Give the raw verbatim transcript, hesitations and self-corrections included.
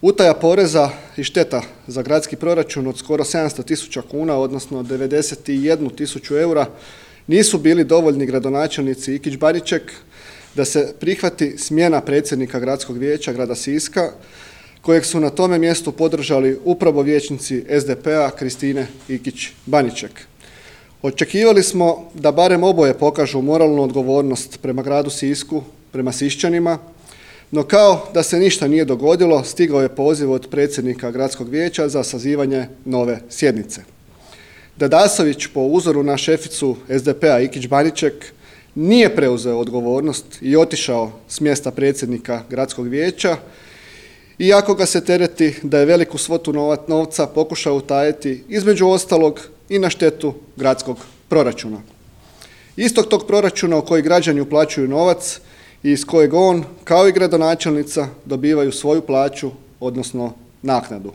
Utaja poreza i šteta za gradski proračun od skoro sedamsto tisuća kuna, odnosno devedeset jednu tisuću eura, nisu bili dovoljni gradonačelnici Ikić-Baniček da se prihvati smjena predsjednika Gradskog vijeća grada Siska, kojeg su na tome mjestu podržali upravo vijećnici es de pe-a Kristine Ikić-Baniček. Očekivali smo da barem oboje pokažu moralnu odgovornost prema gradu Sisku, prema Siščanima, no kao da se ništa nije dogodilo, stigao je poziv od predsjednika Gradskog vijeća za sazivanje nove sjednice. Dadasović, po uzoru na šeficu es de pe-a Ikić-Baniček, nije preuzeo odgovornost i otišao s mjesta predsjednika Gradskog vijeća, iako ga se tereti da je veliku svotu novca pokušao utajiti, između ostalog i na štetu gradskog proračuna. Istog tog proračuna u koji građani uplaćuju novac i iz kojeg on, kao i gradonačelnica, dobivaju svoju plaću, odnosno naknadu.